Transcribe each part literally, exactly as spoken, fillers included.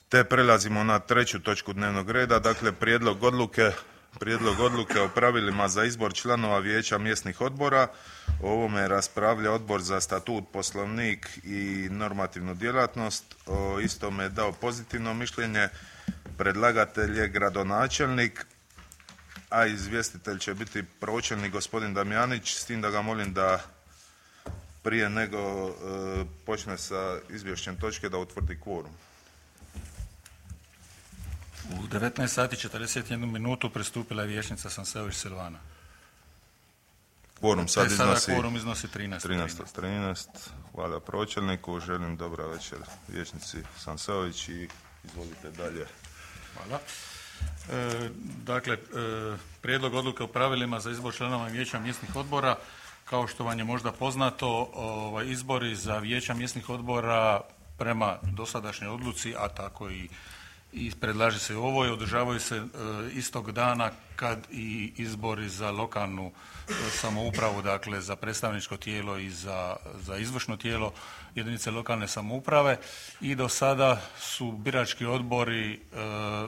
Te prelazimo na treću točku dnevnog reda, dakle prijedlog odluke, prijedlog odluke o pravilima za izbor članova vijeća mjesnih odbora. O ovome raspravlja Odbor za statut, poslovnik i normativnu djelatnost. O istome je dao pozitivno mišljenje. Predlagatelj je gradonačelnik, a izvjestitelj će biti pročelnik gospodin Damjanić, s tim da ga molim da prije nego e, počne sa izvješćem točke da utvrdi kvorum. U devetnaest sati i četrdeset jednu minutu pristupila je vijećnica Sanseović Silvana. Kvorum sad sada iznosi kvorum iznosi trinaest. trinaest trinaest. Hvala pročelniku, želim dobra večer vijećnici Sanseović i izvolite dalje. Hvala. E, dakle, e, prijedlog odluke o pravilima za izbor članova vijeća mjesnih odbora. Kao što vam je možda poznato, ovaj, izbori za vijeća mjesnih odbora prema dosadašnjoj odluci, a tako i i predlaže se ovo i održavaju se e, istog dana kad i izbori za lokalnu e, samoupravu, dakle za predstavničko tijelo i za, za izvršno tijelo jedinice lokalne samouprave, i do sada su birački odbori e,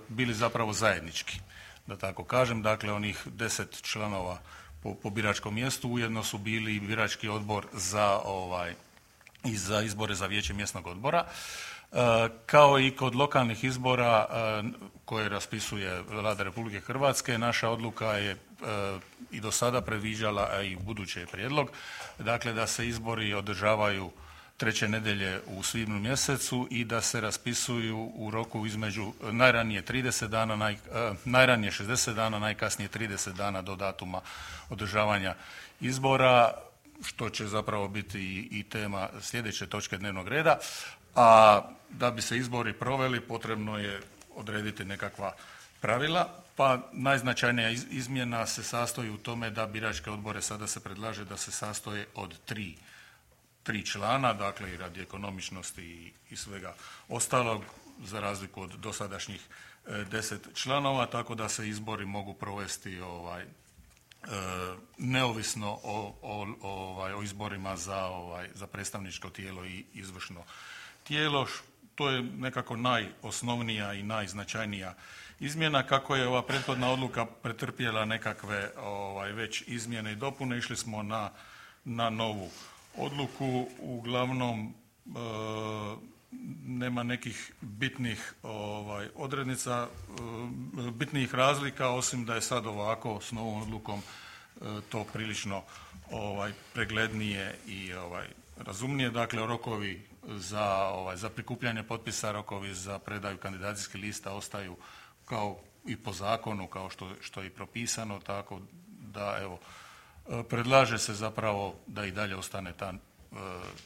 bili zapravo zajednički, da tako kažem, dakle onih deset članova po, po biračkom mjestu ujedno su bili i birački odbor za ovaj i za izbore za vijeće mjesnog odbora. E, kao i kod lokalnih izbora e, koje raspisuje Vlada Republike Hrvatske, naša odluka je e, i do sada predviđala, a i u buduće je prijedlog, dakle da se izbori održavaju treće nedjelje u svibnju mjesecu i da se raspisuju u roku između najranije trideset dana, naj, e, najranije šezdeset dana, najkasnije trideset dana do datuma održavanja izbora, što će zapravo biti i, i tema sljedeće točke dnevnog reda. A da bi se izbori proveli potrebno je odrediti nekakva pravila, pa najznačajnija izmjena se sastoji u tome da biračke odbore sada se predlaže da se sastoje od tri, tri člana, dakle i radi ekonomičnosti i, i svega ostalog, za razliku od dosadašnjih e, deset članova, tako da se izbori mogu provesti ovaj, e, neovisno o, o, ovaj, o izborima za, ovaj, za predstavničko tijelo i izvršno tijelo. To je nekako najosnovnija i najznačajnija izmjena. Kako je ova prethodna odluka pretrpjela nekakve ovaj, već izmjene i dopune, išli smo na, na novu odluku. Uglavnom e, nema nekih bitnih ovaj, odrednica, e, bitnih razlika, osim da je sad ovako s novom odlukom e, to prilično ovaj, preglednije i ovaj, razumnije. Dakle, rokovi za, ovaj, za prikupljanje potpisa, rokovi za predaju kandidacijskih lista ostaju kao i po zakonu, kao što, što je i propisano, tako da evo, predlaže se zapravo da i dalje ostane ta e,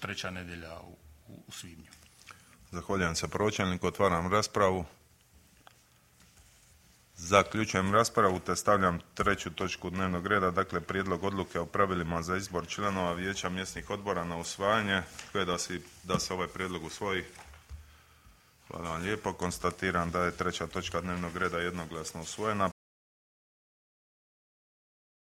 treća nedjelja u, u, u svibnju. Zahvaljujem se pročelniku, otvaram raspravu. Zaključujem raspravu te stavljam treću točku dnevnog reda, dakle prijedlog odluke o pravilima za izbor članova vijeća mjesnih odbora na usvajanje. Tko je da, si, da se ovaj prijedlog usvoji? Hvala vam lijepo. Konstatiram da je treća točka dnevnog reda jednoglasno usvojena.